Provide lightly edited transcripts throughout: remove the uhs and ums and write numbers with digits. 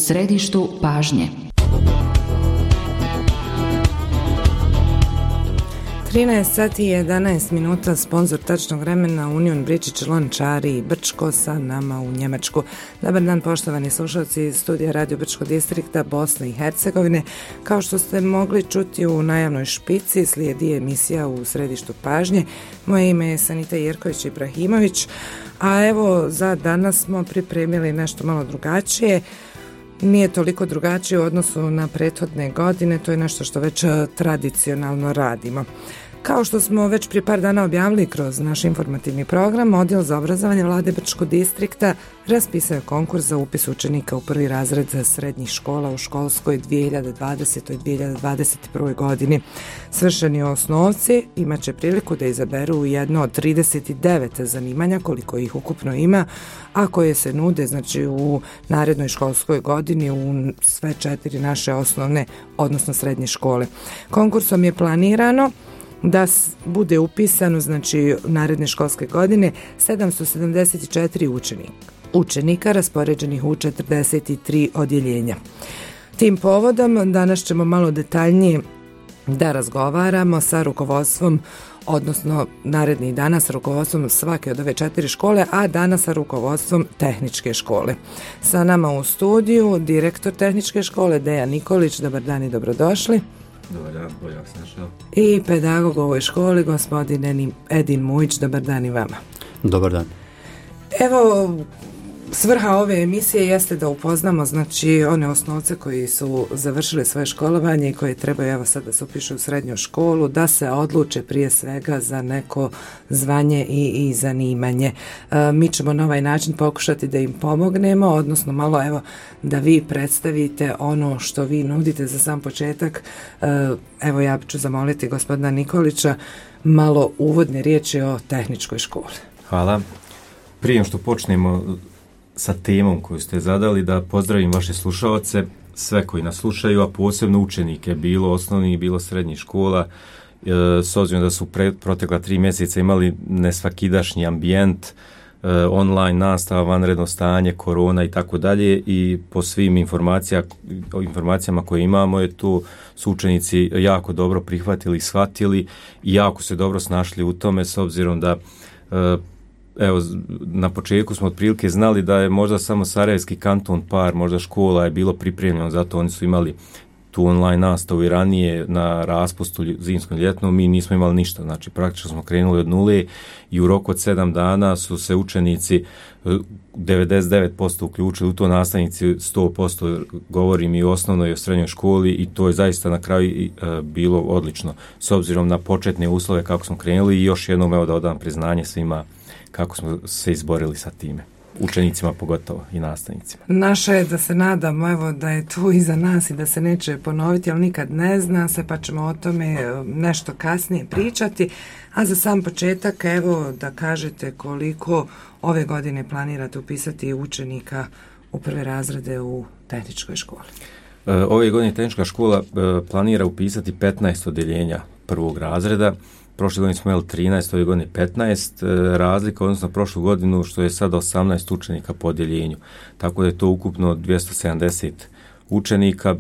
središtu pažnje. 13 sati i 11 minuta, sponzor tačnog vremena Union Bričić, Lončari i Brčko sa nama u Njemačku. Dobar dan poštovani slušalci iz studija Radio Brčko distrikta Bosne i Hercegovine. Kao što ste mogli čuti u najavnoj špici, slijedi emisija u središtu pažnje. Moje ime je Sanita Jerković-Ibrahimović, a evo za danas smo pripremili nešto malo drugačije. Nije toliko drugačije u odnosu na prethodne godine, to je nešto što već tradicionalno radimo. Kao što smo već prije par dana objavili kroz naš informativni program, Odjel za obrazovanje Vlade Brčkog distrikta raspisao je konkurs za upis učenika u prvi razred srednjih škola u školskoj 2020-2021. godini. Svršeni osnovci imat će priliku da izaberu jedno od 39 zanimanja, koliko ih ukupno ima, a koje se nude znači u narednoj školskoj godini u sve 4 naše osnovne, odnosno srednje škole. Konkursom je planirano da bude upisano znači naredne školske godine 774 učenika raspoređenih u 43 odjeljenja. Tim povodom danas ćemo malo detaljnije da razgovaramo sa rukovodstvom, odnosno narednih dana sa rukovodstvom svake od ove 4 škole, a danas sa rukovodstvom tehničke škole. Sa nama u studiju direktor tehničke škole Dejan Nikolić. Dobar dan i dobrodošli. Dobar dan, bolje vas našao. I pedagog u ovoj školi, gospodin Edin Mujić. Dobar dan i vama. Dobar dan. Evo, svrha ove emisije jeste da upoznamo znači one osnovce koji su završili svoje školovanje i koji trebaju evo sad da se upišu u srednju školu, da se odluče prije svega za neko zvanje i zanimanje. Mi ćemo na ovaj način pokušati da im pomognemo, odnosno malo evo da vi predstavite ono što vi nudite za sam početak. Evo ja ću zamoliti gospodina Nikolića malo uvodne riječi o tehničkoj školi. Hvala. Prije što počnemo sa temom koju ste zadali, da pozdravim vaše slušaoce, sve koji nas slušaju, a posebno učenike, bilo osnovnih, bilo srednjih škola, s obzirom da su protekla 3 mjeseca imali nesvakidašnji ambijent, online nastava, vanredno stanje, korona i tako dalje, i po svim informacijama koje imamo je tu su učenici jako dobro prihvatili, shvatili i jako se dobro snašli u tome, s obzirom da evo, na početku smo otprilike znali da je možda samo Sarajevski kanton par, možda škola je bilo pripremljeno, zato oni su imali tu online nastavu i ranije na raspustu zimskom ljetnom, mi nismo imali ništa, znači praktično smo krenuli od nule i u roku od 7 dana su se učenici 99% uključili u to, nastavnici 100%, govorim i u osnovnoj i u srednjoj školi, i to je zaista na kraju bilo odlično, s obzirom na početne uslove kako smo krenuli, i još jednom evo da odam priznanje svima kako smo se izborili sa time, učenicima pogotovo i nastavnicima. Naše je da se nadamo evo da je tu iza nas i da se neće ponoviti, ali nikad ne zna se, pa ćemo o tome nešto kasnije pričati. A za sam početak evo da kažete koliko ove godine planirate upisati učenika u prve razrede u tehničkoj školi. Ove godine tehnička škola planira upisati 15 odjeljenja prvog razreda. Prošle godine smo imali 13, ove godine 15, razlika odnosno prošlu godinu što je sada 18 učenika po odjeljenju. Tako da je to ukupno 270 učenika,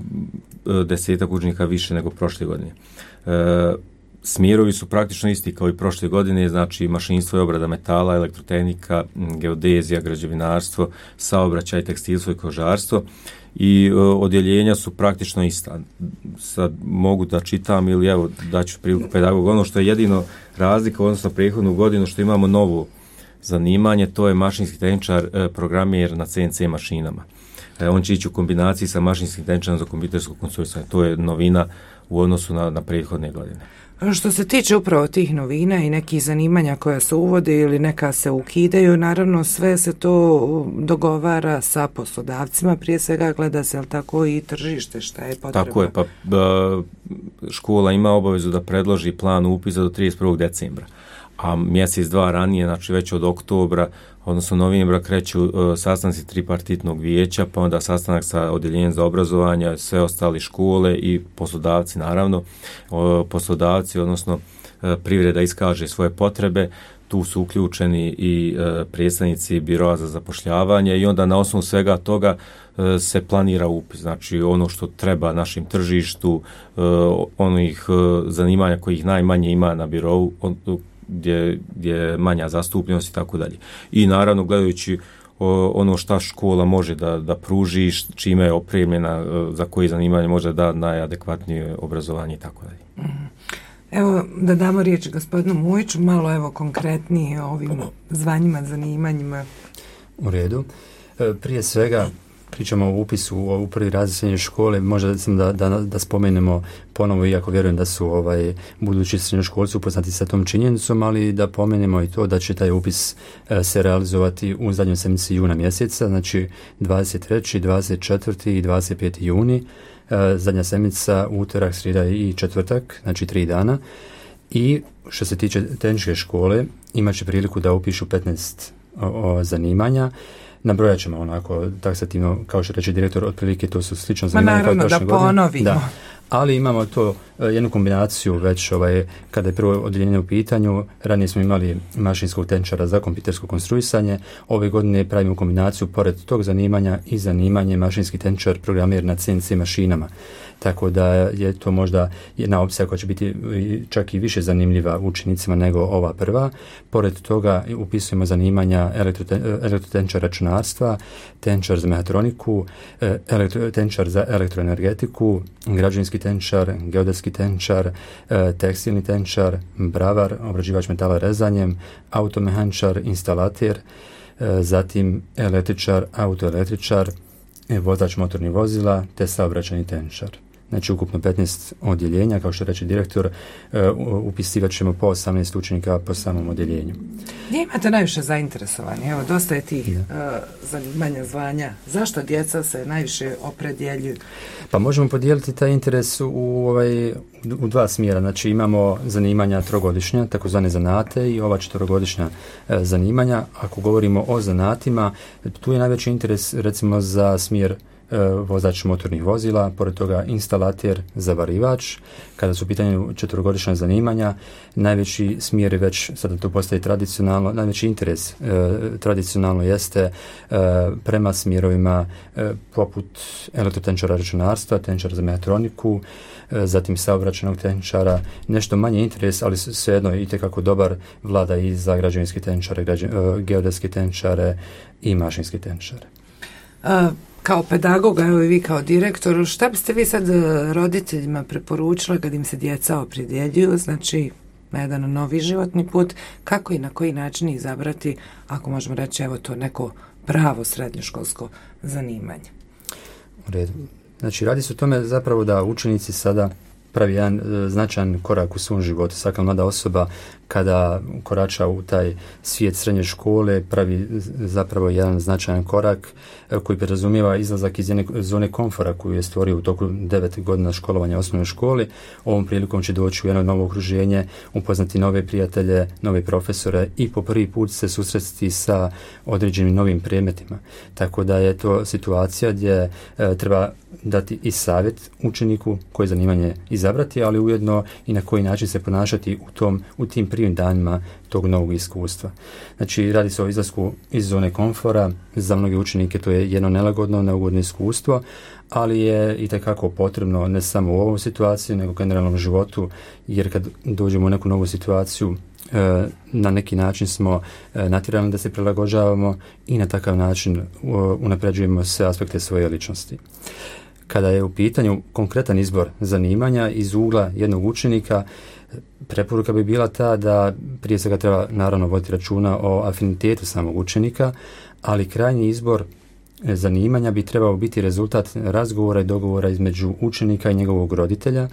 10 učenika više nego prošle godine. Smjerovi su praktično isti kao i prošle godine, znači mašinstvo i obrada metala, elektrotehnika, geodezija, građevinarstvo, saobraćaj, tekstilstvo i kožarstvo. I odjeljenja su praktično ista. Sad mogu da čitam ili evo daću priliku pedagogu. Ono što je jedino razlika odnosno prethodnu godinu što imamo novo zanimanje, to je mašinski tehničar, programer na CNC mašinama. On će ići u kombinaciji sa mašinskim tehničarom za kompjutersko konstruisanje. To je novina u odnosu na prethodne godine. Što se tiče upravo tih novina i nekih zanimanja koja se uvode ili neka se ukidaju, naravno sve se to dogovara sa poslodavcima, prije svega gleda se ali tako i tržište šta je potrebno. Tako je, pa škola ima obavezu da predloži plan upisa do 31. decembra, a mjesec dva ranije, znači već od oktobra, odnosno novembra kreću sastanci tripartitnog vijeća, pa onda sastanak sa odjeljenjem za obrazovanje, sve ostali škole i poslodavci naravno. Poslodavci, odnosno privreda iskaže svoje potrebe, tu su uključeni i predstavnici biroa za zapošljavanje i onda na osnovu svega toga se planira upis. Znači ono što treba našim tržištu, onih zanimanja kojih najmanje ima na birou, gdje je manja zastupljenost i tako dalje. I naravno gledajući ono šta škola može da pruži, čime je opremljena, za koje zanimanje može da najadekvatnije obrazovanje i tako dalje. Evo da damo riječ gospodinu Mujiću, malo konkretnije o ovim zvanjima, zanimanjima. U redu. Prije svega pričamo o upisu u prvi razred srednje škole, možda da spomenemo ponovo, iako vjerujem da su budući srednjoškolci upoznati sa tom činjenicom, ali da pomenemo i to da će taj upis se realizovati u zadnjoj sedmici juna mjeseca, znači 23., 24. i 25. juni, zadnja sedmica, utorak, srijeda i četvrtak, znači 3 dana. I što se tiče tehničke škole, imat će priliku da upišu 15 zanimanja. Nabrojat ćemo onako taksativno, kao što reče direktor, otprilike to su slično zanimanja kao prošle godine. Naravno, da ponovimo. Da. Ali imamo to jednu kombinaciju već kada je prvo odjeljenje u pitanju. Ranije smo imali mašinskog tehničara za kompjutersko konstruisanje. Ove godine pravimo kombinaciju pored tog zanimanja i zanimanje mašinski tehničar programer na CNC mašinama. Tako da je to možda jedna opcija koja će biti čak i više zanimljiva učenicima nego ova prva. Pored toga upisujemo zanimanja elektrotehničar računarstva, tehničar za mehatroniku, tehničar za elektroenergetiku, građevinski tehničar, geodetski tehničar, tekstilni tehničar, bravar, obrađivač metala rezanjem, automehaničar, instalater, zatim električar, autoelektričar, vozač motornih vozila te saobraćajni tehničar. Znači ukupno 15 odjeljenja, kao što reče direktor, upisivat ćemo po 18 učenika po samom odjeljenju. Gdje imate najviše zainteresovanje? Evo, dosta je tih zanimanja, zvanja. Zašto djeca se najviše opredjeljuju? Pa možemo podijeliti taj interes u dva smjera. Znači imamo zanimanja trogodišnja, takozvane zanate, i ova 4-godišnja zanimanja. Ako govorimo o zanatima, tu je najveći interes recimo za smjer vozač motornih vozila, pored toga instalater, zavarivač. Kada su u pitanju 4-godišnja zanimanja, najveći smjer je već, sada to postaje tradicionalno, najveći interes tradicionalno jeste prema smjerovima poput elektrotehničara računarstva, tehničara za mehatroniku, zatim saobraćajnog tehničara. Nešto manje interes, ali svejedno je itekako dobar, vlada i za građevinske tehničare, geodetske tehničare i mašinske tehničare. Kao pedagoga, evo i vi kao direktor, šta biste vi sad roditeljima preporučili kad im se djeca opredjeljuju, znači na jedan novi životni put, kako i na koji način izabrati, ako možemo reći, evo to neko pravo srednjoškolsko zanimanje? U redu. Znači radi se o tome zapravo da učenici sada pravi jedan značajan korak u svom životu. Svaka mlada osoba kada korača u taj svijet srednje škole pravi zapravo jedan značajan korak koji podrazumijeva izlazak iz jedne zone komfora koju je stvorio u toku 9 godina školovanja u osnovnoj školi. Ovom prilikom će doći u jedno novo okruženje, upoznati nove prijatelje, nove profesore i po prvi put se susresti sa određenim novim predmetima. Tako da je to situacija gdje treba dati i savjet učeniku koje zanimanje izabrati, ali ujedno i na koji način se ponašati u tim prvim danima tog novog iskustva. Znači, radi se o izlasku iz zone komfora. Za mnoge učenike to je jedno nelagodno, neugodno iskustvo, ali je itekako potrebno ne samo u ovom situaciji, nego u generalnom životu, jer kad dođemo u neku novu situaciju, na neki način smo natjerani da se prilagođavamo i na takav način unapređujemo sve aspekte svoje ličnosti. Kada je u pitanju konkretan izbor zanimanja iz ugla jednog učenika, preporuka bi bila ta da prije svega treba naravno voditi računa o afinitetu samog učenika, ali krajnji izbor zanimanja bi trebao biti rezultat razgovora i dogovora između učenika i njegovog roditelja,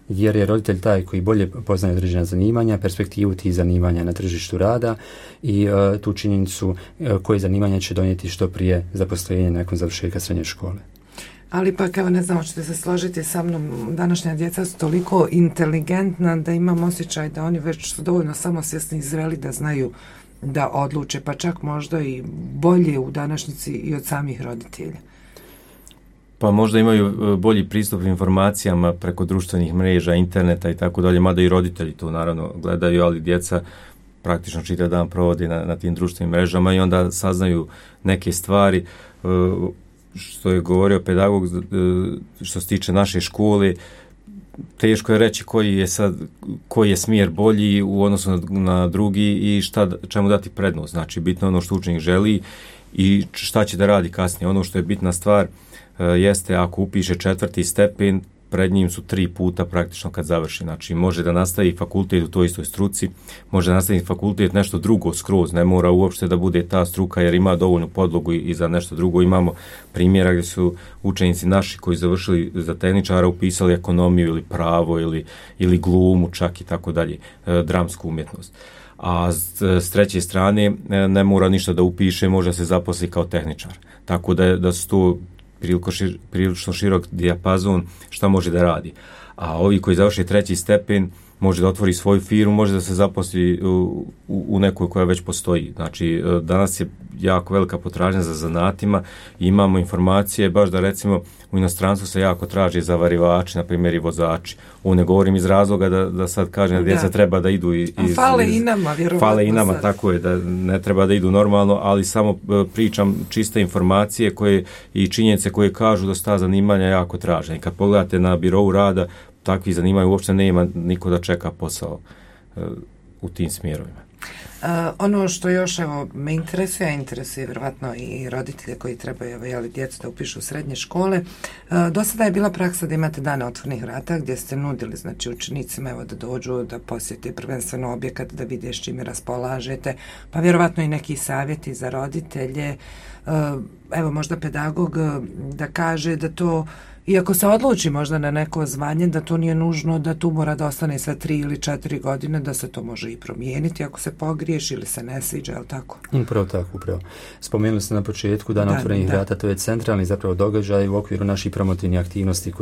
jer je roditelj taj koji bolje poznaje određena zanimanja, perspektivu tih zanimanja na tržištu rada i tu činjenicu koje zanimanja će donijeti što prije zaposlenje nakon završetka srednje škole. Ali pa evo, ne znam, hoćete se složiti sa mnom, današnja djeca su toliko inteligentna da imam osjećaj da oni već su dovoljno samosvjesni i zreli da znaju da odluče, pa čak možda i bolje u današnjici i od samih roditelja. Pa možda imaju bolji pristup informacijama preko društvenih mreža, interneta i tako dalje, mada i roditelji to naravno gledaju, ali djeca praktično čitav dan provodi na tim društvenim mrežama i onda saznaju neke stvari, što je govorio pedagog, što se tiče naše škole. Teško je reći koji je smjer bolji u odnosu na drugi i čemu dati prednost. Znači, bitno ono što učenik želi i šta će da radi kasnije. Ono što je bitna stvar jeste ako upiše 4. stepen, pred njim su 3 puta praktično kad završi. Znači, može da nastavi fakultet u toj istoj struci, može da nastavi fakultet nešto drugo skroz, ne mora uopšte da bude ta struka jer ima dovoljnu podlogu i za nešto drugo. Imamo primjera gdje su učenici naši koji završili za tehničara upisali ekonomiju ili pravo ili glumu čak i tako dalje, dramsku umjetnost. A s treće strane ne mora ništa da upiše, može se zaposli kao tehničar. Tako da su to prilično širok dijapazon šta može da radi. A ovi koji završe 3. stepen može da otvori svoju firmu, može da se zaposli u nekoj koja već postoji. Znači, danas je jako velika potražnja za zanatima i imamo informacije, baš da recimo u inostranstvu se jako traži zavarivači, na primjer i vozači. Ovo ne govorim iz razloga da sad kažem da djeca treba da idu fale i nama, vjerovatno. Fale i nama, tako je, da ne treba da idu normalno, ali samo pričam čiste informacije koje i činjenice koje kažu da su ta zanimanja jako tražena. I kad pogledate na birou rada, takvi zanimanja uopšte nema niko da čeka posao u tim smjerovima. Ono što još me interesuje vjerovatno i roditelje koji trebaju djecu da upišu u srednje škole. Do sada je bila praksa da imate dane otvorenih vrata gdje ste nudili znači učenicima da dođu, da posjete prvenstveno objekat, da vide s čime raspolažete, pa vjerovatno i neki savjeti za roditelje. Možda pedagog da kaže da to, iako se odluči možda na neko zvanje, da to nije nužno da tu mora da ostane sve 3 ili 4 godine, da se to može i promijeniti ako se pogriješi ili se ne sviđa, je li tako? Upravo tako, upravo. Spomenuli ste na početku dan otvorenih vrata, to je centralni zapravo događaj u okviru naših promotivnih aktivnosti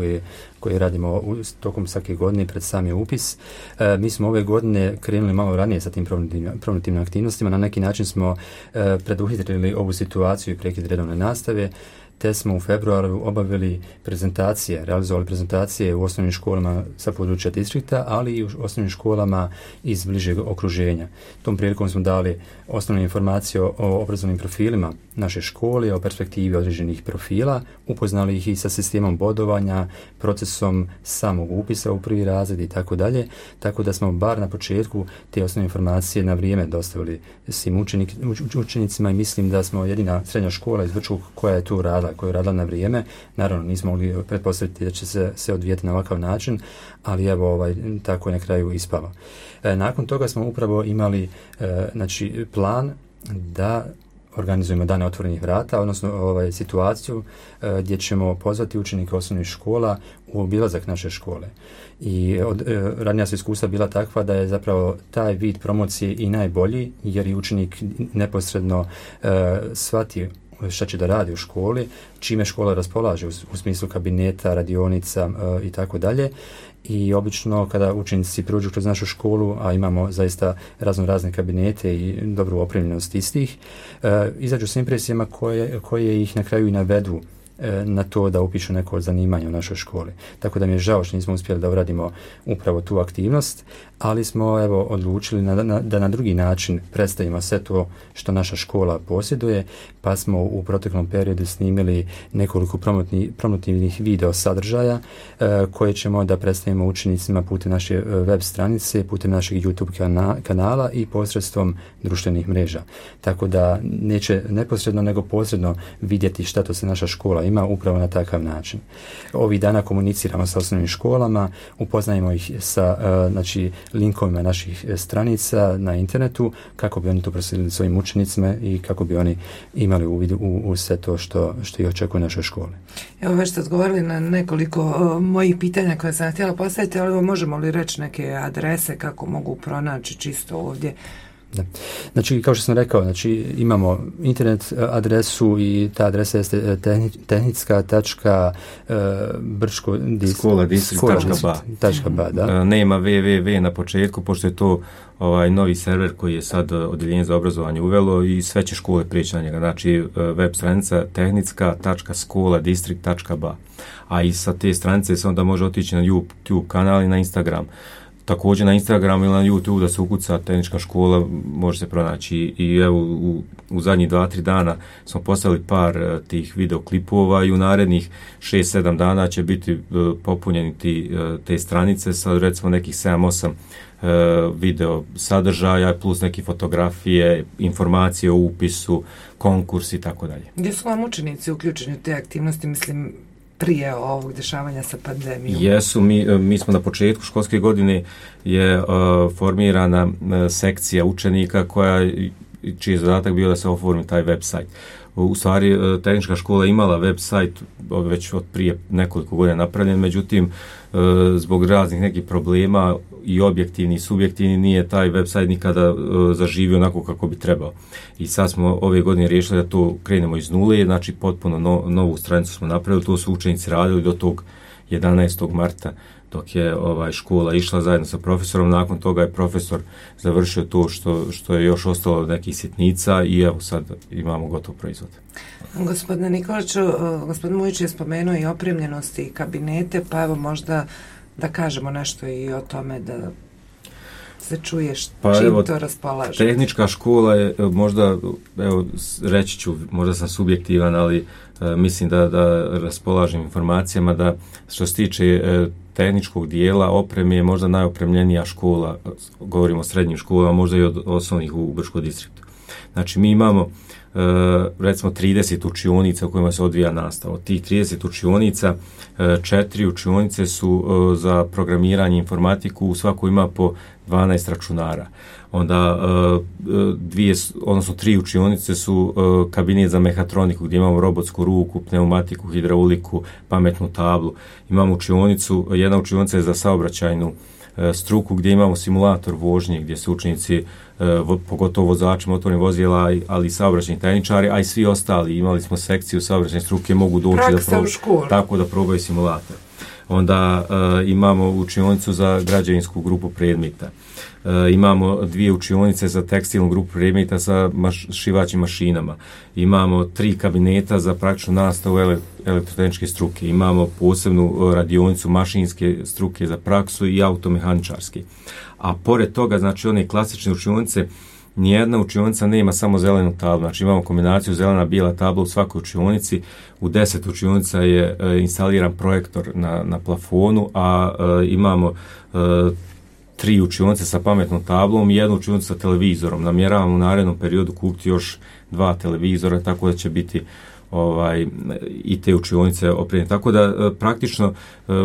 koje radimo tokom svake godine pred sami upis. Mi smo ove godine krenuli malo ranije sa tim promotivnim aktivnostima, na neki način smo preduhitrili ovu situaciju i prekid redovne nastave, te smo u februaru realizovali prezentacije u osnovnim školama sa područja distrikta, ali i u osnovnim školama iz bližeg okruženja. Tom prilikom smo dali osnovne informacije o obrazovnim profilima naše škole, o perspektivi određenih profila, upoznali ih i sa sistemom bodovanja, procesom samog upisa u prvi razred i tako dalje, tako da smo bar na početku te osnovne informacije na vrijeme dostavili svim učenicima i mislim da smo jedina srednja škola iz Brčkog koja je tu radila, koja je radila na vrijeme. Naravno, nismo mogli pretpostaviti da će se odvijeti na ovakav način, ali tako je na kraju ispalo. Nakon toga smo upravo imali plan da organizujemo dane otvorenih vrata, odnosno situaciju gdje ćemo pozvati učenike osnovnih škola u obilazak naše škole. I ranija su iskustva bila takva da je zapravo taj vid promocije i najbolji, jer i učenik neposredno shvati šta će da radi u školi, čime škola raspolaže u smislu kabineta, radionica i tako dalje. I obično kada učenici prođu kroz našu školu, a imamo zaista razne kabinete i dobru opremljenost istih, izađu s impresijama koje ih na kraju i navedu na to da upišu neko od zanimanja u našoj školi. Tako da mi je žao što nismo uspjeli da uradimo upravo tu aktivnost, ali smo odlučili da na drugi način predstavimo sve to što naša škola posjeduje, pa smo u proteklom periodu snimili nekoliko promotivnih video sadržaja koje ćemo da predstavimo učenicima putem naše web stranice, putem našeg YouTube kanala i posredstvom društvenih mreža. Tako da neće neposredno nego posredno vidjeti šta to se naša škola ima upravo na takav način. Ovih dana komuniciramo sa osnovnim školama, upoznajemo ih sa linkovima naših stranica na internetu kako bi oni to proslijedili svojim učenicima i kako bi oni imali uvid u sve to što ih očekuje u našoj školi. Evo već ste odgovorili na nekoliko mojih pitanja koje sam htjela postaviti, ali možemo li reći neke adrese kako mogu pronaći čisto ovdje? Da. Znači, kao što sam rekao, imamo internet adresu i ta adresa jeste tehnicka.brčko.ba. Nema www na početku, pošto je to novi server koji je sad odjeljenje za obrazovanje uvelo i sve će škole prijeći na njega. Znači, web stranica tehnicka.skoladistrikt.ba. A i sa te stranice se onda može otići na YouTube kanal i na Instagram. također na Instagramu ili na YouTube da se ukuca tehnička škola, može se pronaći. I evo u zadnjih 2-3 dana smo postavili par tih videoklipova i u narednih 6-7 dana će biti popunjeni te stranice sa recimo nekih 7-8 video sadržaja plus neke fotografije, informacije o upisu, konkurs i tako dalje. Gdje su vam učenici uključeni u te aktivnosti, mislim, prije ovog dešavanja sa pandemijom? Jesu, mi smo na početku školske godine je formirana sekcija učenika čiji je zadatak bio da se oformi taj website. U stvari, tehnička škola imala website već od prije nekoliko godina napravljen, međutim, zbog raznih nekih problema i objektivni i subjektivni nije taj website nikada zaživio onako kako bi trebao. I sad smo ove godine riješili da to krenemo iz nule, znači potpuno novu stranicu smo napravili, to su učenici radili do tog 11. marta dok je škola išla zajedno sa profesorom. Nakon toga je profesor završio to što je još ostalo od nekih sitnica i evo sad imamo gotov proizvod. Gospodine Nikoliću, gospodin Mujić je spomenuo i opremljenosti i kabinete, pa evo možda da kažemo nešto i o tome da se čuješ čim to raspolaže. Tehnička škola je možda, evo reći ću, možda sam subjektivan, ali mislim da raspolažem informacijama da što se tiče tehničkog dijela opreme je možda najopremljenija škola, govorimo o srednjim školama, možda i od osnovnih u Brčkom distriktu. Znači mi imamo recimo 30 učionica u kojima se odvija nastava. Od tih 30 učionica, 4 učionice su za programiranje informatiku, u svakoj ima po 12 računara. Onda 3 učionice su kabinet za mehatroniku gdje imamo robotsku ruku, pneumatiku, hidrauliku, pametnu tablu. Imamo jedna učionica je za saobraćajnu struku gdje imamo simulator vožnje gdje su učenici, pogotovo vozači motornih vozila, ali i saobraćajni tehničari, a i svi ostali. Imali smo sekciju saobraćajne struke, mogu doći da probaju simulator. Onda imamo učionicu za građevinsku grupu predmeta. Imamo 2 učionice za tekstilnu grupu predmeta sa šivaćim mašinama. Imamo 3 kabineta za praktičnu nastavu elektrotehničke struke. Imamo posebnu radionicu mašinske struke za praksu i automehaničarske. A pored toga, znači one klasične učionice, nijedna učionica nema samo zelenu tablu, znači imamo kombinaciju zelena bijela tabla u svakoj učionici, u 10 učionica je instaliran projektor na plafonu, a imamo 3 učionice sa pametnom tablom i 1 učionicu sa televizorom. Namjeravamo u narednom periodu kupiti još 2 televizora, tako da će biti i te učionice opremljene. Tako da praktično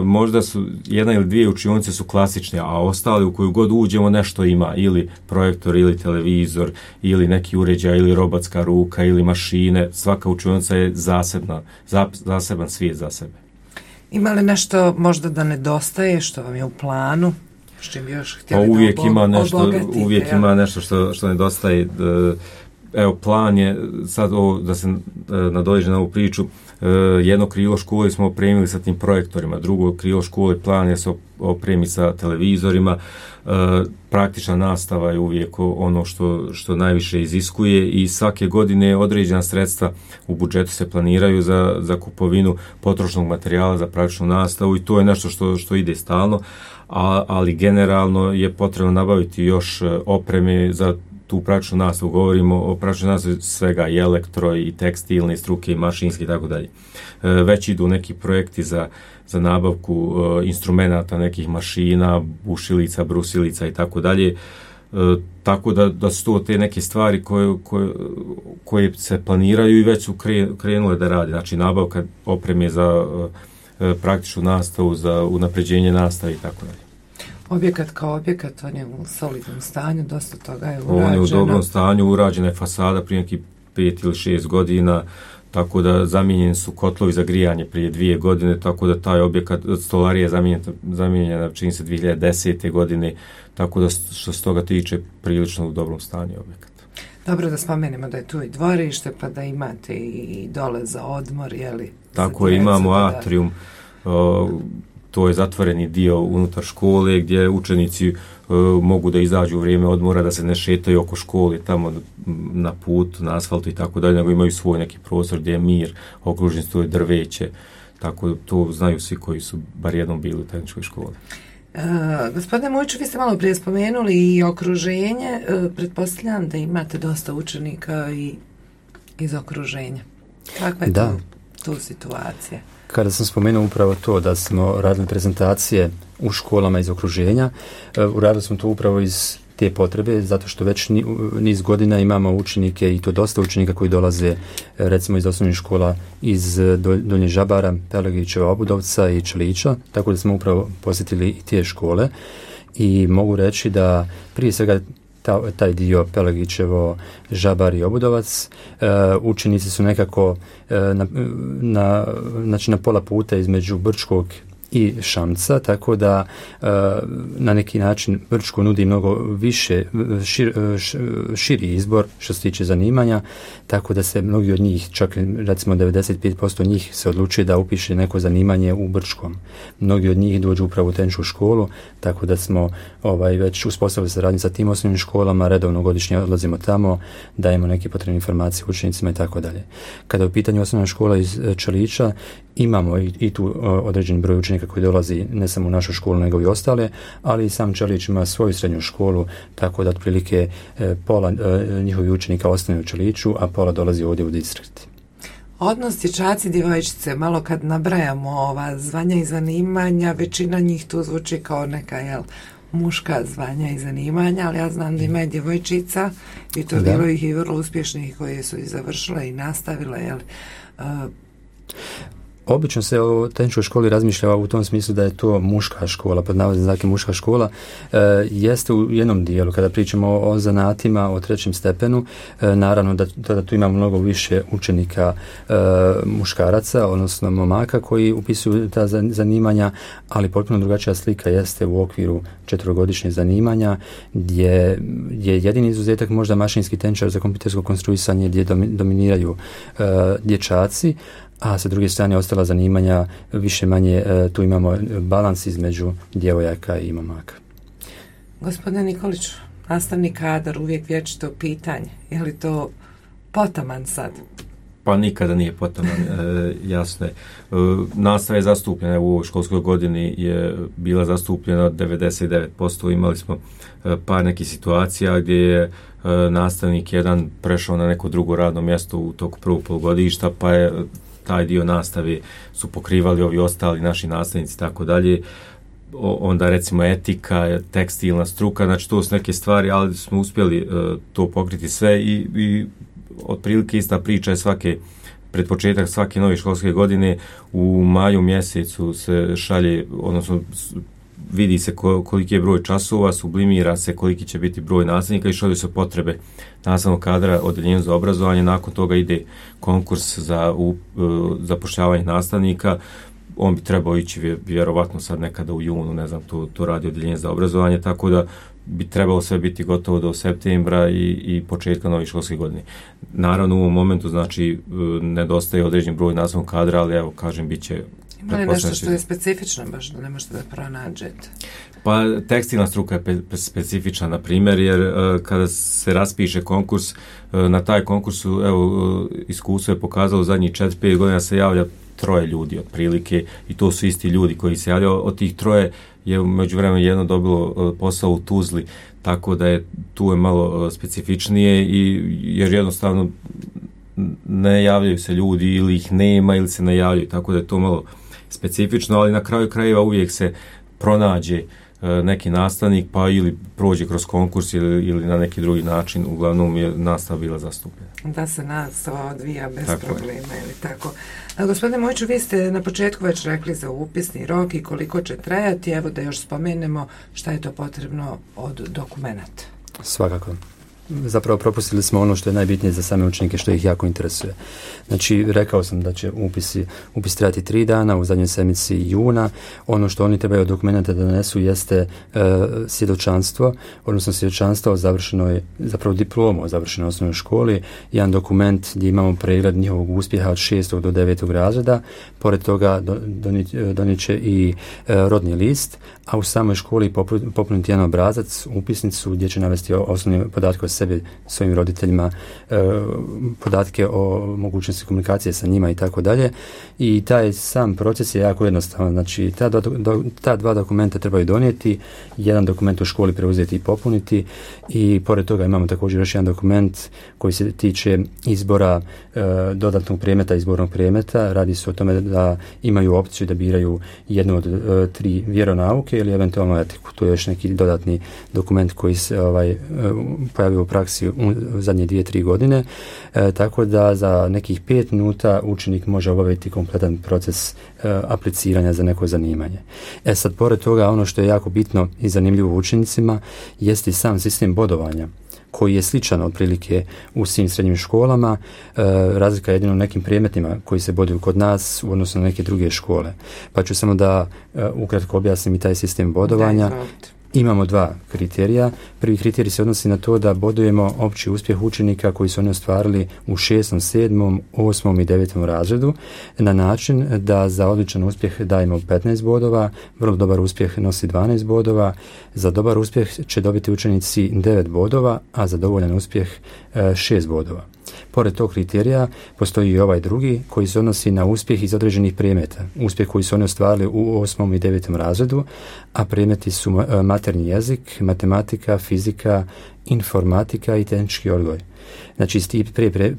možda su 1 ili 2 učionice su klasične, a ostali u koju god uđemo nešto ima, ili projektor, ili televizor, ili neki uređaj, ili robotska ruka, ili mašine. Svaka učionica je zaseban svijet za sebe. Ima li nešto možda da nedostaje, što vam je u planu? S čim bi još htjeli uvijek ima nešto što nedostaje. Evo, plan je sad da se nadođe na ovu priču. Jedno krilo škole smo opremili sa tim projektorima, drugo krilo škole plan je se opremi sa televizorima. Praktična nastava je uvijek ono što najviše iziskuje i svake godine određena sredstva u budžetu se planiraju za kupovinu potrošnog materijala za praktičnu nastavu i to je nešto što ide stalno, ali generalno je potrebno nabaviti još opreme za tu praktičnu nastavu. Govorimo o praktičnoj nastavi svega i elektro i tekstilne struke i mašinske i tako dalje. Već idu neki projekti za nabavku instrumenata, nekih mašina, bušilica, brusilica i tako dalje. Tako da su to te neke stvari koje se planiraju i već su krenule da radi. Znači nabavka opreme za praktičnu nastavu, za unapređenje nastave i tako dalje. Objekat kao objekat, on je u solidnom stanju, dosta toga je urađeno. On je u dobrom stanju, urađena je fasada prije nekih 5 ili 6 godina, tako da zamijenjeni su kotlovi za grijanje prije 2 godine, tako da taj objekat, stolarija je zamijenjena čini se 2010. godine, tako da što se toga tiče prilično u dobrom stanju objekat. Dobro da spomenemo da je tu i dvorište, pa da imate i dole za odmor, jeli? Tako je, imamo atrium, to je zatvoreni dio unutar škole gdje učenici mogu da izađu u vrijeme odmora, da se ne šetaju oko škole tamo na putu, na asfaltu i tako dalje, nego imaju svoj neki prostor gdje je mir, okružen stoje drveće, tako to znaju svi koji su bar jednom bili u tehničkoj školi. Gospodine Mujiću, vi ste malo prije spomenuli i okruženje. Pretpostavljam da imate dosta učenika i iz okruženja. Kakva je tu situacija? Kada sam spomenuo upravo to da smo radili prezentacije u školama iz okruženja, uradili smo to upravo iz te potrebe, zato što već niz godina imamo učenike i to dosta učenika koji dolaze recimo iz osnovnih škola iz Donjeg Žabara, Pelagićeva, Obudovca i Čelića, tako da smo upravo posjetili i te škole i mogu reći da prije svega taj dio Pelagićevo, Žabar i Obudovac, učenici su nekako na pola puta između Brčkog i Šamca, tako da na neki način Brčko nudi mnogo više, širi izbor što se tiče zanimanja, tako da se mnogi od njih, čak recimo 95% njih se odlučuje da upiše neko zanimanje u Brčkom. Mnogi od njih dođu upravo u tehničku školu, tako da smo već uspostavili saradnju sa tim osnovnim školama, redovno godišnje odlazimo tamo, dajemo neke potrebne informacije učenicima i tako dalje. Kada je u pitanju osnovna škola iz Čelića, imamo i tu određeni broj učenika koji dolazi ne samo u našu školu nego i ostale, ali i sam Čelić ima svoju srednju školu, tako da otprilike pola njihovih učenika ostane u Čeliću, a pola dolazi ovdje u distrikt. Odnos dječaci, djevojčice, malo kad nabrajamo ova zvanja i zanimanja, većina njih tu zvuči kao neka muška zvanja i zanimanja, ali ja znam da ima i djevojčica i to bilo ih i vrlo uspješnih koje su i završile i nastavile, Obično se o tehničkoj školi razmišlja u tom smislu da je to muška škola, pod navodnim znakom muška škola. Jeste u jednom dijelu, kada pričamo o zanatima, o trećem stepenu, naravno da tu ima mnogo više učenika muškaraca, odnosno momaka koji upisuju ta zanimanja, ali potpuno drugačija slika jeste u okviru 4-godišnjeg zanimanja, gdje je jedini izuzetak možda mašinski tehničar za kompjutersko konstruisanje, gdje dominiraju dječaci, a sa druge strane ostala zanimanja više manje tu imamo balans između djevojaka i momaka. Gospodine Nikolić, nastavni kadar uvijek vječito pitanje. Je li to potaman sad? Pa nikada nije potaman, jasno je. Nastava je zastupljena u ovoj školskoj godini, je bila zastupljena 99%. Imali smo par nekih situacija gdje je nastavnik jedan prešao na neko drugo radno mjesto u toku prvog polugodišta, pa je taj dio nastave su pokrivali ovi ostali naši nastavnici i tako dalje. Onda recimo etika, tekstilna struka, znači to su neke stvari, ali smo uspjeli to pokriti sve i otprilike ista priča je pred početak svake nove školske godine u maju mjesecu se šalje, odnosno vidi se koliki je broj časova, sublimira se koliki će biti broj nastavnika i šalju se potrebe nastavnog kadra odeljenju za obrazovanje. Nakon toga ide konkurs za zapošljavanje nastavnika. On bi trebao ići vjerovatno sad nekada u junu, ne znam, to radi odeljenje za obrazovanje, tako da bi trebalo sve biti gotovo do septembra i početka nove školske godine. Naravno u ovom momentu znači nedostaje određen broj nastavnog kadra, ali evo kažem bit će. Ima li nešto što je specifično baš da ne možete da pronađete? Pa tekstilna struka je specifična, na primjer, jer kada se raspiše konkurs, na taj konkursu, evo, iskustvo je pokazalo zadnjih 4-5 godina se javlja 3 ljudi otprilike i to su isti ljudi koji se javljaju. Od tih 3 je u međuvremenu jedno dobilo posao u Tuzli, tako da je tu je malo specifičnije jer jednostavno ne javljaju se ljudi ili ih nema ili se ne javljaju, tako da je to malo specifično, ali na kraju krajeva uvijek se pronađe neki nastavnik pa ili prođe kroz konkurs ili na neki drugi način, uglavnom je nastava bila zastupljena. Da se nastava odvija bez problema ili tako. Gospodine Mujiću, vi ste na početku već rekli za upisni rok i koliko će trajati, evo da još spomenemo šta je to potrebno od dokumenata. Svakako. Zapravo propustili smo ono što je najbitnije za same učenike, što ih jako interesuje. Znači, rekao sam da će upis trajati 3 dana u zadnjoj sedmici juna. Ono što oni trebaju od dokumenta da donesu jeste svjedočanstvo, odnosno svjedočanstvo o završenoj, zapravo diplomu o završenoj osnovnoj školi, jedan dokument gdje imamo pregled njihovog uspjeha od 6. do 9. razreda. Pored toga donijet će i rodni list, a u samoj školi popuniti jedan obrazac, upisnicu gdje će navesti osnovne podatke o sebi, svojim roditeljima, podatke o mogućnosti komunikacije sa njima i tako dalje. I taj sam proces je jako jednostavan. Znači, ta dva dokumenta trebaju donijeti, jedan dokument u školi preuzeti i popuniti i pored toga imamo također još jedan dokument koji se tiče izbora dodatnog predmeta, izbornog predmeta. Radi se o tome da imaju opciju da biraju jednu od 3 vjeronauke ili eventualno etiku. To je još neki dodatni dokument koji se pojavio u praksi u zadnje 2-3 godine. Tako da za nekih 5 minuta učenik može obaviti kompletan proces apliciranja za neko zanimanje. Sad, pored toga, ono što je jako bitno i zanimljivo učenicima jeste sam sistem bodovanja koji je sličan otprilike u svim srednjim školama. Razlika je jedino u nekim predmetima koji se boduju kod nas u odnosu na neke druge škole. Pa ću samo da ukratko objasnim i taj sistem bodovanja. Imamo 2 kriterija. Prvi kriterij se odnosi na to da bodujemo opći uspjeh učenika koji su oni ostvarili u 6., 7., 8. i 9. razredu na način da za odličan uspjeh dajemo 15 bodova, vrlo dobar uspjeh nosi 12 bodova, za dobar uspjeh će dobiti učenici 9 bodova, a za dovoljan uspjeh 6 bodova. Pored tog kriterija postoji i ovaj drugi koji se odnosi na uspjeh iz određenih predmeta. Uspjeh koji su oni ostvarili u 8. i 9. razredu, a predmeti su maternji jezik, matematika, fizika, informatika i tehnički odgoj. Znači, iz tih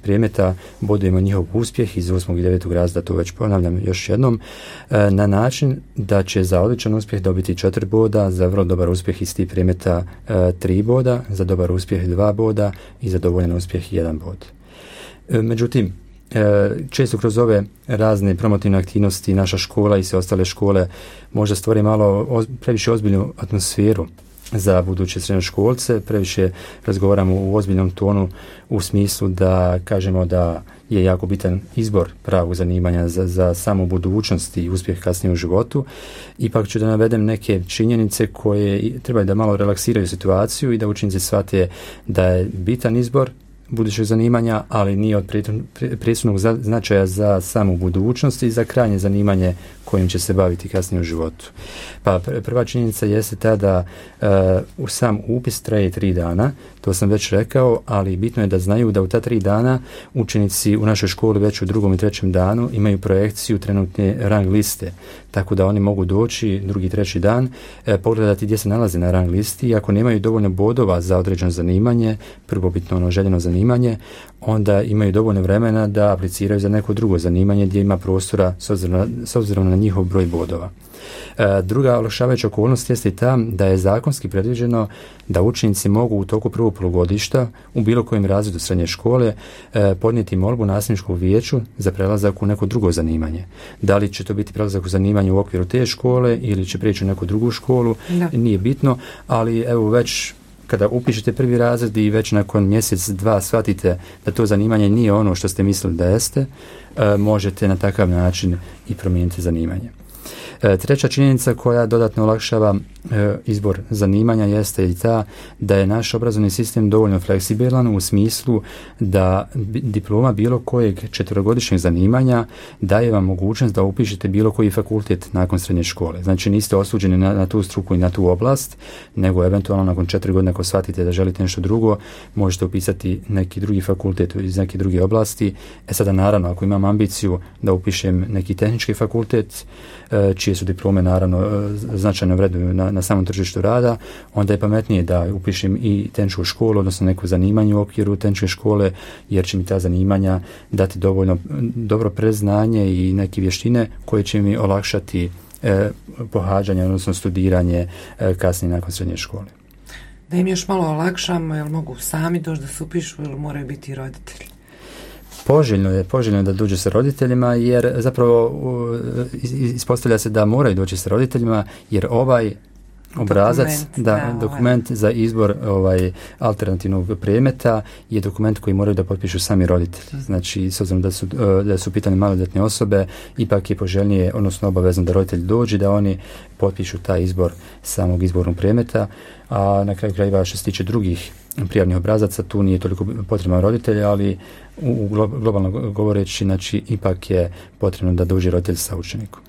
predmeta bodujemo njihov uspjeh iz 8. i 9. razreda, to već ponavljam još jednom, na način da će za odličan uspjeh dobiti 4 boda, za vrlo dobar uspjeh iz tih predmeta 3 boda, za dobar uspjeh 2 boda i za dovoljan uspjeh 1 bod. Međutim, često kroz ove razne promotivne aktivnosti naša škola i sve ostale škole možda stvori malo previše ozbiljnu atmosferu za buduće srednjoškolce, previše razgovaramo u ozbiljnom tonu u smislu da kažemo da je jako bitan izbor pravog zanimanja za samu budućnost i uspjeh kasnije u životu. Ipak ću da navedem neke činjenice koje trebaju da malo relaksiraju situaciju i da učenici shvate da je bitan izbor budućeg zanimanja, ali nije od presudnog značaja za samu budućnost i za krajnje zanimanje kojim će se baviti kasnije u životu. Pa prva činjenica jeste ta da u sam upis traje 3 dana, to sam već rekao, ali bitno je da znaju da u ta 3 dana učenici u našoj školi već u 2. i 3. danu imaju projekciju trenutne rang liste, tako da oni mogu doći 2. i 3. dan, pogledati gdje se nalaze na rang listi i ako nemaju dovoljno bodova za određeno zanimanje, prvobitno ono željeno zanimanje, onda imaju dovoljno vremena da apliciraju za neko drugo zanimanje gdje ima prostora s obzirom na njihov broj bodova. Druga olakšavajuća okolnost jeste i ta da je zakonski predviđeno da učenici mogu u toku prvog polugodišta u bilo kojem razredu srednje škole podnijeti molbu nastavničkom vijeću za prelazak u neko drugo zanimanje. Da li će to biti prelazak u zanimanje u okviru te škole ili će prijeći u neku drugu školu, nije bitno, ali evo već kada upišete prvi razred i već nakon mjesec, 2 shvatite da to zanimanje nije ono što ste mislili da jeste, možete na takav način i promijeniti zanimanje. Treća činjenica koja dodatno olakšava izbor zanimanja jeste i ta da je naš obrazovni sistem dovoljno fleksibilan u smislu da diploma bilo kojeg 4-godišnjeg zanimanja daje vam mogućnost da upišete bilo koji fakultet nakon srednje škole. Znači niste osuđeni na tu struku i na tu oblast, nego eventualno nakon 4 godine ako shvatite da želite nešto drugo, možete upisati neki drugi fakultet iz neke druge oblasti. Sada naravno ako imam ambiciju da upišem neki tehnički fakultet, čije su diplome naravno značajno vrednuju na samom tržištu rada, onda je pametnije da upišem i tehničku školu, odnosno neko zanimanje u okviru tehničke škole, jer će mi ta zanimanja dati dovoljno dobro predznanje i neke vještine koje će mi olakšati pohađanje, odnosno studiranje kasnije nakon srednje škole. Da im još malo olakšamo, jel mogu sami doći da se upišu ili moraju biti roditelji? Poželjno je da dođe sa roditeljima, jer zapravo ispostavlja se da moraju doći sa roditeljima, jer ovaj obrazac, dokument za izbor alternativnog predmeta je dokument koji moraju da potpišu sami roditelji. Znači, s obzirom da su pitane maloljetne osobe, ipak je poželjnije, odnosno obavezno da roditelj dođe, da oni potpišu taj izbor samog izbornog predmeta, a na kraju krajeva što se tiče drugih prijavnih obrazaca, tu nije toliko potreban roditelj, ali globalno govoreći, znači, ipak je potrebno da dođe roditelj sa učenikom.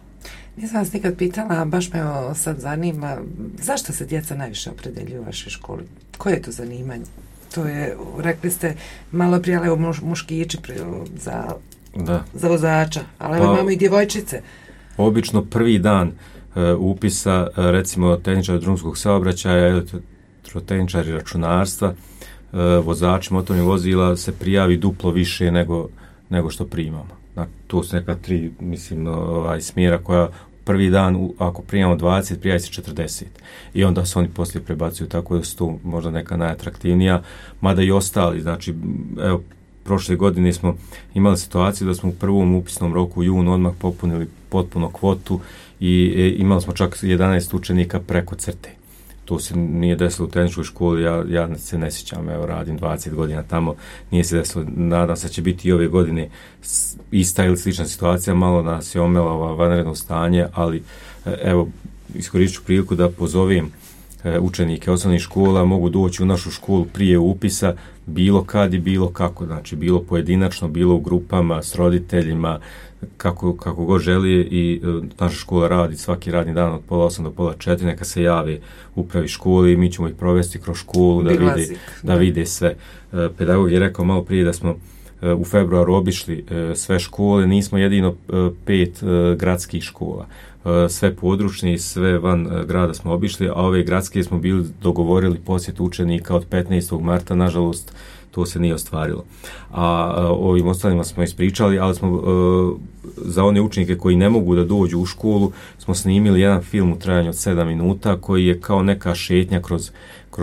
Nisam vas nikad pitala, baš me sad zanima, zašto se djeca najviše opredjeljuju u vašoj školi? Koje je to zanimanje? To je, rekli ste malo prije, ali muškići za vozača, ali imamo i djevojčice. Obično prvi dan upisa, recimo tehničar drumskog saobraćaja, elektrotehničari računarstva, vozači motornih vozila se prijavi duplo više nego što primamo. To su neka 3, mislim, smjera koja prvi dan, ako primamo 20, prijavi se 40. I onda se oni poslije prebacuju, tako da su tu možda neka najatraktivnija, mada i ostali. Znači, evo, prošle godine smo imali situaciju da smo u prvom upisnom roku u junu odmah popunili potpuno kvotu i imali smo čak 11 učenika preko crte. To se nije desilo u tehničkoj školi, ja se ne sjećam, evo radim 20 godina tamo, nije se desilo, nadam se da će biti i ove godine ista ili slična situacija, malo nas je omela vanredno stanje, ali evo, iskoristit ću priliku da pozovem učenike osnovnih škola, mogu doći u našu školu prije upisa, bilo kad i bilo kako, znači bilo pojedinačno, bilo u grupama, s roditeljima, kako god želi i naša škola radi svaki radni dan od 8:30 do 15:30, neka se jave upravi školi i mi ćemo ih provesti kroz školu da vide sve. Pedagog je rekao malo prije da smo u februaru obišli sve škole, nismo jedino 5 gradskih škola. Sve područne i sve van grada smo obišli, a ove gradske smo bili dogovorili posjet učenika od 15. marta, nažalost to se nije ostvarilo. A ovim ostalima smo ispričali, ali smo za one učenike koji ne mogu da dođu u školu smo snimili jedan film u trajanju od 7 minuta koji je kao neka šetnja kroz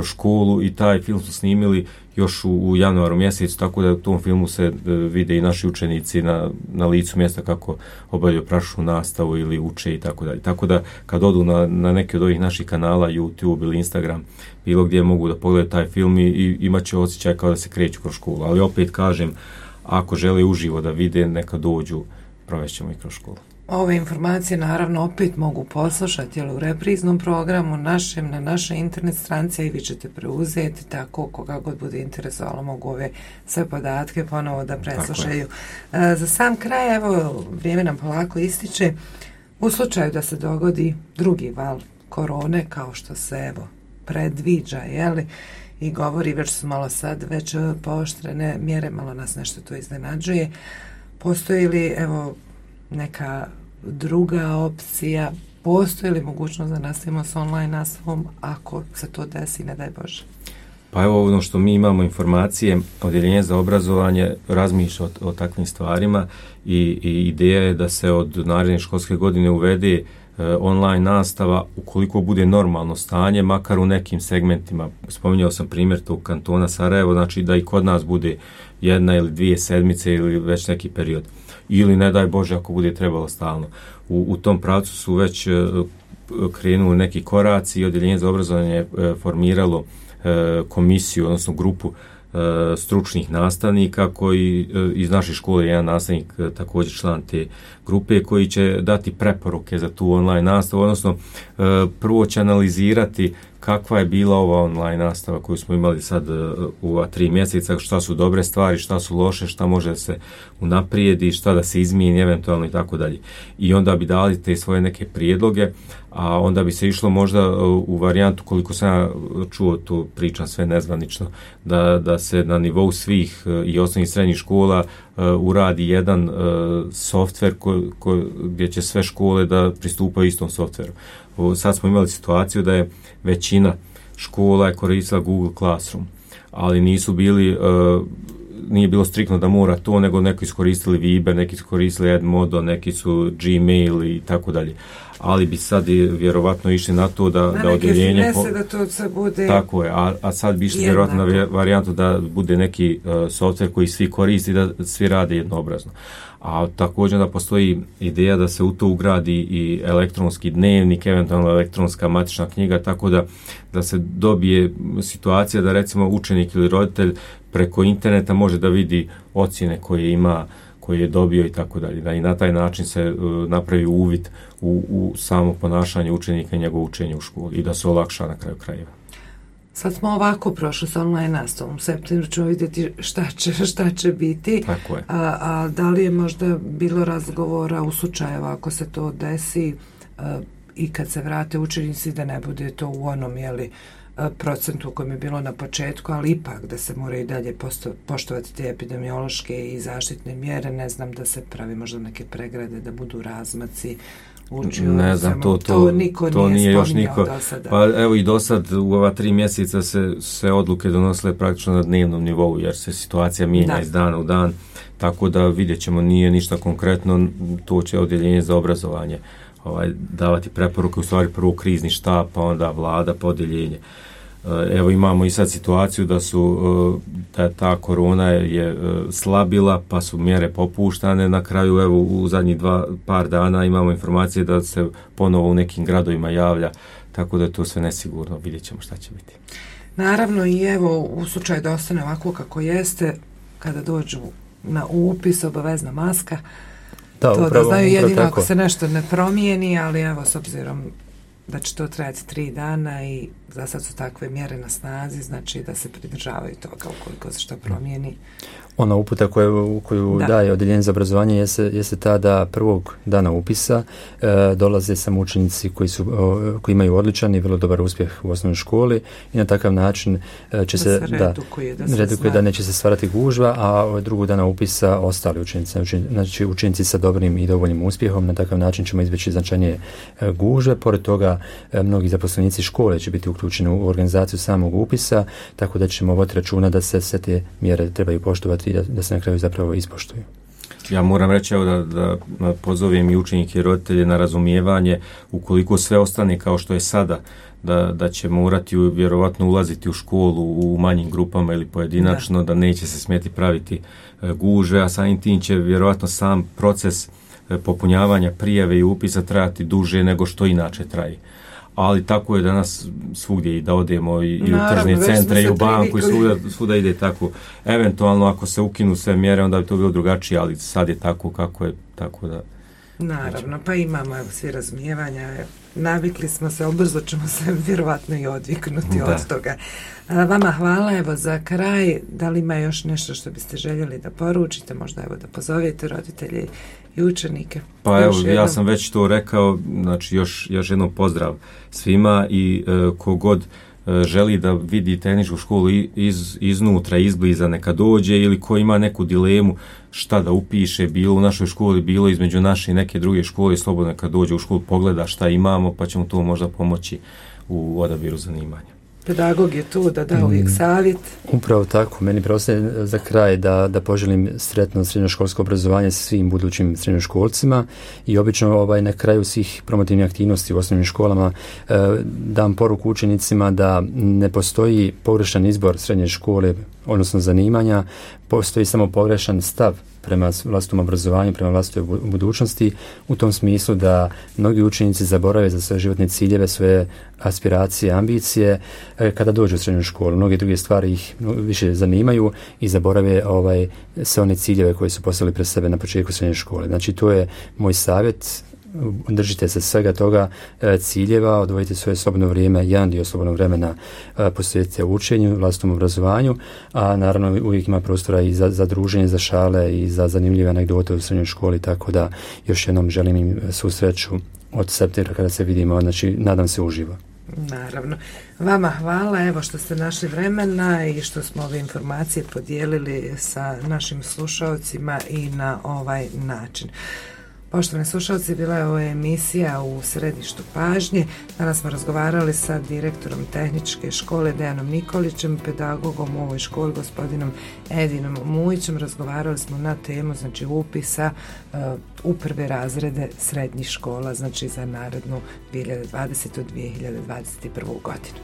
školu i taj film smo snimili još u januaru mjesecu, tako da u tom filmu se vide i naši učenici na licu mjesta kako obavljaju praktičnu nastavu ili uče i tako dalje. Tako da kad odu na neki od ovih naših kanala, YouTube ili Instagram, bilo gdje mogu da pogledaju taj film i imat će osjećaj kao da se kreću kroz školu. Ali opet kažem, ako žele uživo da vide, neka dođu, provešćemo i kroz školu. Ove informacije naravno opet mogu poslušati u repriznom programu na našoj internet stranici i vi ćete preuzeti, tako koga god bude interesovalo mogu ove sve podatke ponovo da preslušaju. Za sam kraj, evo, vrijeme nam polako ističe, u slučaju da se dogodi drugi val korone kao što se evo predviđa, jeli, i govori, već su malo sad već pooštrene mjere, malo nas nešto to iznenađuje. Postoji li evo neka druga opcija, postoji li mogućnost da nastavimo s online nastavom ako se to desi, ne daj Bože? Pa evo ono što mi imamo informacije, Odjeljenje za obrazovanje razmišlja o takvim stvarima i ideja je da se od naredne školske godine uvede online nastava ukoliko bude normalno stanje, makar u nekim segmentima. Spominjao sam primjer tog kantona Sarajevo, znači da i kod nas bude 1 ili 2 sedmice ili već neki period. Ili ne daj Bože ako bude trebalo stalno. U tom pravcu su već krenuli neki koraci i Odjeljenje za obrazovanje je formiralo komisiju, odnosno grupu stručnih nastavnika koji iz naše škole, jedan nastavnik također član te grupe, koji će dati preporuke za tu online nastavu, odnosno prvo će analizirati kakva je bila ova online nastava koju smo imali sad u 3 mjeseca, šta su dobre stvari, šta su loše, šta može da se unaprijedi, šta da se izmijeni eventualno i tako dalje. I onda bi dali te svoje neke prijedloge, a onda bi se išlo možda u varijantu, koliko sam ja čuo, tu pričam sve nezvanično, da se na nivou svih i osnovnih i srednjih škola uradi jedan softver gdje će sve škole da pristupaju istom softveru. Sad smo imali situaciju da je većina škola je koristila Google Classroom, ali nije bilo striktno da mora to, nego neki su koristili Viber, neki su koristili Edmodo, neki su Gmail i tako dalje. Ali bi sad vjerovatno išli na to da odjeljenje... da to se bude... Tako je, a sad bi išli vjerovatno na varijantu da bude neki softver koji svi koristi, da svi rade jednoobrazno. A također da postoji ideja da se u to ugradi i elektronski dnevnik, eventualno elektronska matična knjiga, tako da se dobije situacija da recimo učenik ili roditelj preko interneta može da vidi ocjene koje je dobio i tako dalje. Da i na taj način se napravi uvid u samo ponašanje učenika i njegovo učenje u školi i da se olakša na kraju krajeva. Sad smo ovako prošli sa online nastavom. U septembru ćemo vidjeti šta će biti. Tako je. A da li je možda bilo razgovora u slučaju ako se to desi i kad se vrate učenici da ne bude to u onom procentu u kojem je bilo na početku, ali ipak da se moraju i dalje poštovati te epidemiološke i zaštitne mjere. Ne znam da se pravi možda neke pregrade, da budu razmaci. Ne znam, to niko nije još niko. Pa evo i do sad u ova 3 mjeseca se odluke donosile praktično na dnevnom nivou, jer se situacija mijenja iz dana u dan, tako da vidjet ćemo, nije ništa konkretno, to će odjeljenje za obrazovanje davati preporuke, u stvari prvo krizni štab, pa onda vlada, pa odjeljenje. Evo imamo i sad situaciju da ta korona je slabila, pa su mjere popuštane. Na kraju, evo u zadnjih par dana imamo informacije da se ponovo u nekim gradovima javlja, tako da je to sve nesigurno, vidjet ćemo šta će biti. Naravno i evo u slučaju da ostane ovako kako jeste, kada dođu na upis obavezna maska, da znaju jedino ako se nešto ne promijeni, ali evo s obzirom da će to trajati 3 dana i za sad su takve mjere na snazi, znači da se pridržavaju toga ukoliko se što promijeni. Ona uputa koju daje odjeljenje za obrazovanje jeste ta da prvog dana upisa dolaze samo učenici koji imaju odličan i vrlo dobar uspjeh u osnovnoj školi i na takav način će se redukuje da neće se stvarati gužva, a od drugog dana upisa ostali učenici, znači učenici sa dobrim i dovoljnim uspjehom, na takav način ćemo izbjeći značajnije gužve. Pored toga mnogi zaposlenici škole će biti uključeni u organizaciju samog upisa, tako da ćemo voditi računa da se sve te mjere trebaju poštovati i da se na kraju zapravo ispoštuju. Ja moram reći da pozovem i učenike i roditelje na razumijevanje, ukoliko sve ostane kao što je sada, da će morati vjerovatno ulaziti u školu u manjim grupama ili pojedinačno, da neće se smjeti praviti gužve, a samim tim će vjerovatno sam proces popunjavanja prijave i upisa trajati duže nego što inače traje. Ali tako je danas svugdje i da odemo i u tržne centre i u banku i svuda ide tako. Eventualno ako se ukinu sve mjere onda bi to bilo drugačije, ali sad je tako kako je, tako da... Naravno, pa imamo svi razumijevanja, navikli smo se, brzo ćemo se vjerovatno i odviknuti od toga. Vama hvala, evo za kraj, da li ima još nešto što biste željeli da poručite, možda evo da pozovete roditelje i učenike? Pa evo, ja sam već to rekao, znači još jednom pozdrav svima i kogod želi da vidi tehničku školu iznutra, izbliza, neka dođe, ili ko ima neku dilemu šta da upiše, bilo u našoj školi, bilo između naše i neke druge škole, slobodno neka dođe u školu, pogleda šta imamo, pa ćemo to možda pomoći u odabiru zanimanja. Pedagog je tu da da uvijek savjet. Upravo tako, meni preostaje za kraj da poželim sretno srednjoškolsko obrazovanje svim budućim srednjoškolcima i obično na kraju svih promotivnih aktivnosti u osnovnim školama dam poruku učenicima da ne postoji pogrešan izbor srednje škole, odnosno zanimanja, postoji samo pogrešan stav prema vlastitom obrazovanju, prema vlastitoj budućnosti, u tom smislu da mnogi učenici zaborave za svoje životne ciljeve, svoje aspiracije, ambicije, kada dođu u srednju školu. Mnoge druge stvari ih više zanimaju i zaborave sve one ciljeve koje su postavili pred sebe na početku srednje škole. Znači, to je moj savjet. Držite se svega toga ciljeva, odvojite svoje slobodno vrijeme, jedan dio slobodnog vremena posvetite učenju, vlastitom obrazovanju, a naravno uvijek ima prostora i za druženje, za šale i za zanimljive anegdote u srednjoj školi, tako da još jednom želim im svu sreću od septembra kada se vidimo, znači nadam se uživo. Naravno. Vama hvala, evo što ste našli vremena i što smo ove informacije podijelili sa našim slušalcima i na ovaj način. Poštovani slušalci, bila je ovo emisija u središtu pažnje. Danas smo razgovarali sa direktorom tehničke škole Dejanom Nikolićem, pedagogom u ovoj školi gospodinom Edinom Mujićem. Razgovarali smo na temu upisa u prve razrede srednjih škola, znači za narednu 2020-2021. godinu.